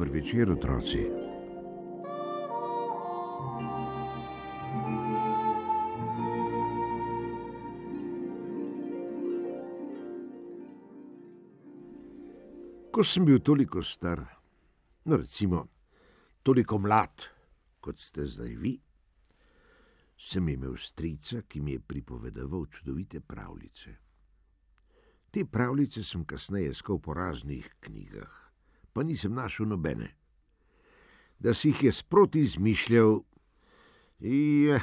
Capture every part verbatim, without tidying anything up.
Dober večer, otroci. Ko sem bil toliko star, no recimo toliko mlad, kot ste zdaj vi, sem imel strica, ki mi je pripovedoval čudovite pravljice. Te pravljice sem kasneje iskal po raznih knjigah, pa nisem našel nobene. Da si jih je sproti izmišljal, ja,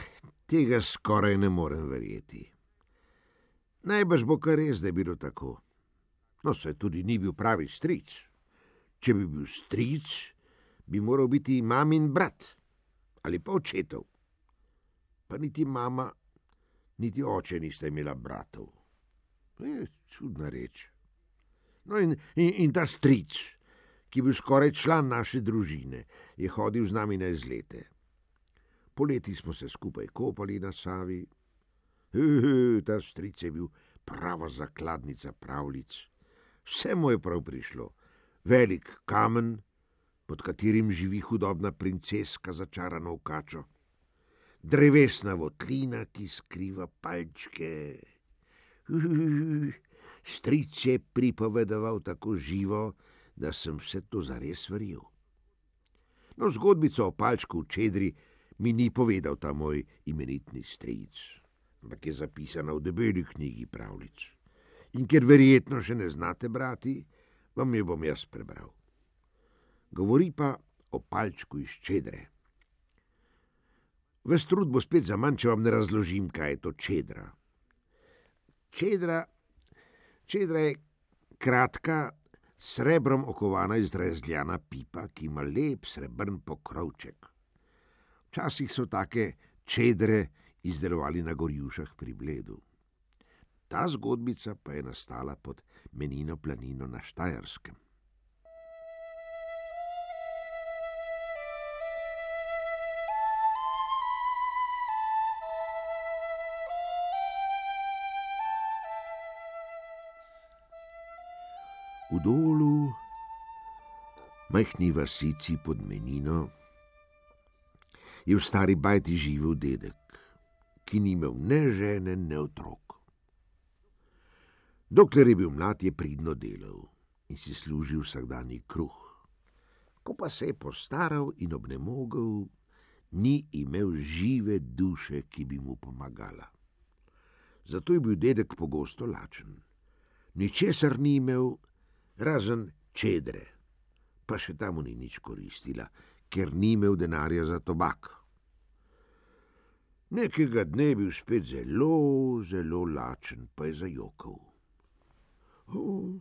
tega skoraj ne morem verjeti. Najbrž bo kar res, da je bilo tako. No, saj tudi ni bil pravi stric. Če bi bil stric, bi moral biti mamin brat ali pa očetov. Pa niti mama, niti oče nista imela bratov. Je čudna reč. No in, in, in ta stric, ki je bil skoraj član naše družine, je hodil z nami na izlete. Poleti smo se skupaj kopali na Savi. He, ta stric je bil prava zakladnica pravljic. Vse mu je prav prišlo. Velik kamen, pod katerim živi hudobna princeska začarana v kačo. Drevesna votlina, ki skriva palčke. Stric je pripovedoval tako živo, da sem vse to zares verjel. No, zgodbico o palčku v čedri mi ni povedal ta moj imenitni stric, ampak je zapisana v debeli knjigi pravljic. In ker verjetno še ne znate brati, vam jo bom jaz prebral. Govori pa o palčku iz čedre. Ves trud bo spet zaman, če vam ne razložim, kaj je to čedra. Čedra, čedra je kratka, srebrom okovana izrezljana pipa, ki ima lep srebrn pokrovček. Včasih so take čedre izdelovali na Gorjušah pri Bledu. Ta zgodbica pa je nastala pod Menino planino na Štajerskem. V Dolu, majhni vasici pod Menino, je v stari bajti živel dedek, ki ni imel ne žene, ne otrok. Dokler je bil mlad, je pridno delal in si služil vsakdanji kruh. Ko pa se je postaral in obnemogel, ni imel žive duše, ki bi mu pomagala. Zato je bil dedek pogosto lačen. Ničesar ni imel, razen čedre, pa še ta mu ni nič koristila, ker ni imel denarja za tobak. Nekega dne je bil spet zelo, zelo lačen, pa je zajokal. O,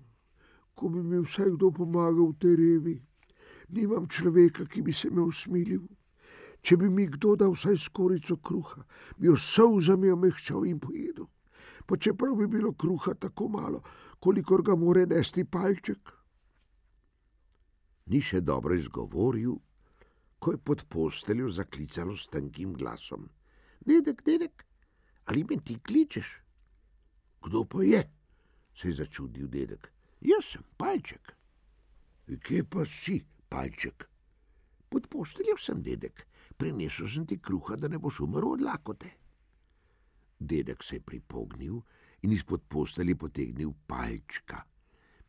ko bi mi vsaj kdo pomagal v tej revi, nimam človeka, ki bi se me usmilil. Če bi mi kdo dal vsaj skorico kruha, bi jo solzami omehčal in pojedel. Pa čeprav bi bilo kruha tako malo, kolikor ga more nesti palček. Ni še dobro izgovoril, ko je pod posteljo zaklicalo s tankim glasom. Dedek, dedek, ali me ti kličeš? Kdo pa je? Se je začudil dedek. Jaz sem palček. Kje pa si, palček? Pod posteljo sem, dedek. Prinesel sem ti kruha, da ne boš umrl od lakote. Dedek se je pripognil in izpod postelje potegnil palčka,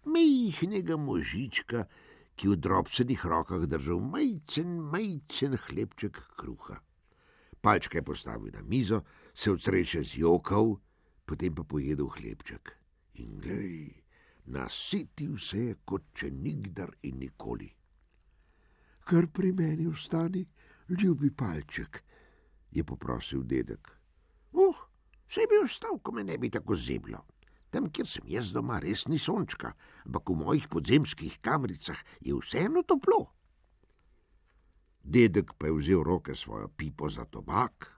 majhnega možička, ki v drobcenih rokah držal majcen, majcen hlebček kruha. Palčka je postavil na mizo, se od sreče zjokal, potem pa pojedel hlebček. In glej, nasitil se je, kot če nikdar in nikoli. Kar pri meni ostani, ljubi palček, je poprosil dedek. Uh, Vse bi ostal, ko me ne bi tako zeblo. Tam, kjer sem jaz doma, res ni sončka, ampak v mojih podzemskih kamricah je vseeno toplo. Dedek pa je vzel roke svojo pipo za tobak,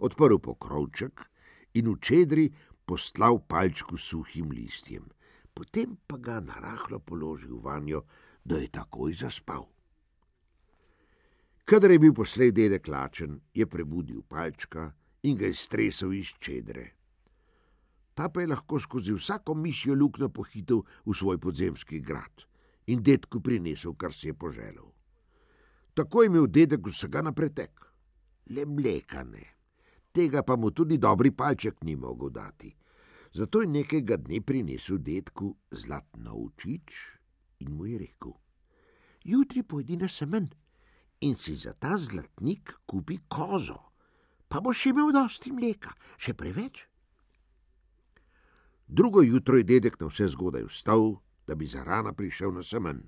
odprl pokrovček in v čedri postlal palčku suhim listjem, potem pa ga narahlo položil vanjo, da je takoj zaspal. Kadar je bil poslej dedek lačen, je prebudil palčka in ga je stresel iz čedre. Ta pa je lahko skozi vsako mišjo luknjo pohitel v svoj podzemski grad in dedku prinesel, kar si je poželel. Tako je imel dedek vsega na pretek, le mleka ne, tega pa mu tudi dobri palček ni mogel dati. Zato je nekega dne prinesel dedku zlat novčič in mu je rekel: jutri pojdi na semen in si za ta zlatnik kupi kozo, pa boš imel dosti mleka, še preveč. Drugo jutro je dedek na vse zgodaj vstal, da bi zarana prišel na semen.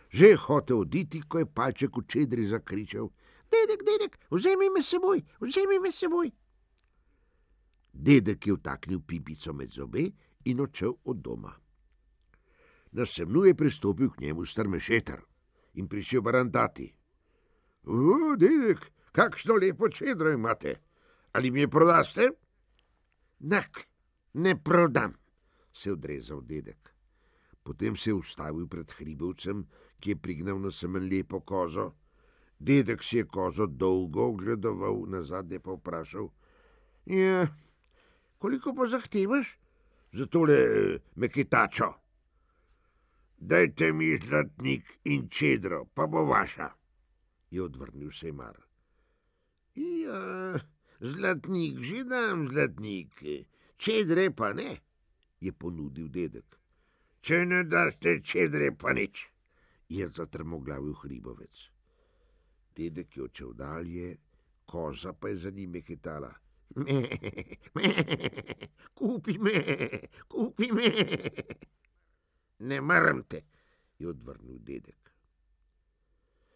Že je hotel oditi, ko je palček v čedri zakričal: dedek, dedek, vzemi me seboj, vzemi me seboj. Dedek je vtaknil pipico med zobe in odšel od doma. Na semnu je pristopil k njemu strmešeter in prišel barantati: O, dedek, kakšno lepo čedro imate, ali mi je prodaste? Nak, ne prodam, se je odrezal dedek. Potem se je ustavil pred hribovcem, ki je prignal na semen lepo kozo. Dedek si je kozo dolgo ogledoval, nazadnje pa vprašal: ja, koliko pa zahtevaš za tole meketačo? Dajte mi zlatnik in čedro, pa bo vaša, je odvrnil Sejmar. Ja, zlatnik že dam, zlatnik, čedre pa ne, je ponudil dedek. Če ne daste čedre pa nič, je zatrmoglavil hribovec. Dedek je odšel dalje, koza pa je za njim meketala. Me, me, kupi me, kupi me. Ne maram te, je odvrnil dedek.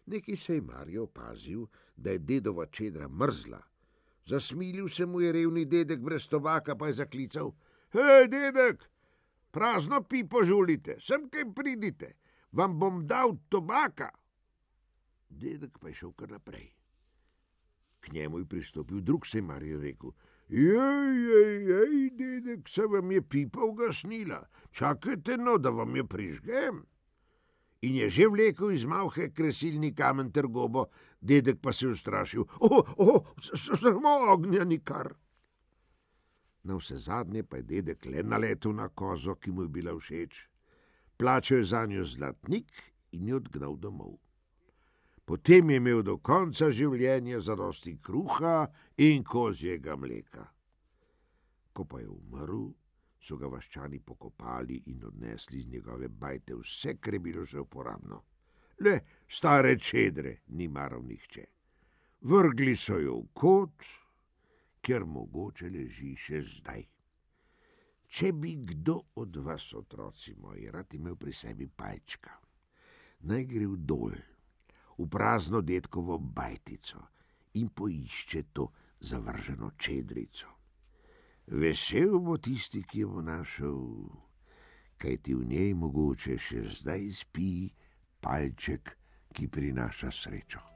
Neki Sejmar je opazil, da je dedova čedra mrzla. Zasmilil se mu je revni dedek brez tobaka, pa je zaklical: Hej, dedek, prazno pipo žulite, sem kaj pridite, vam bom dal tobaka. Dedek pa je šel kar naprej. K njemu je pristopil drug Sejmar in rekel: Jej, jej, jej, dedek, se vam je pipa ugasnila, čakajte no, da vam je prižgem. In je že vlekel iz malhe kresilni kamen ter gobo, dedek pa se je ustrašil: O, o, samo ognja nikar. Na vse zadnje pa je dedek le naletel na kozo, ki mu je bila všeč. Plačal je zanjo zlatnik in jo odgnal domov. Potem je imel do konca življenja zadosti kruha in kozjega mleka. Ko pa je umrl, so ga vaščani pokopali in odnesli iz njegove bajte vse, kar je bilo že uporabno. Le stare čedre ni maral nihče. Vrgli so jo v kot, ker mogoče leži še zdaj. Če bi kdo od vas, otroci moji, rad imel pri sebi palčka, naj gre v dol, v prazno dedkovo bajtico in poišče to zavrženo čedrico. Vesel bo tisti, ki jo bo našel, kajti v njej mogoče še zdaj spi palček, ki prinaša srečo.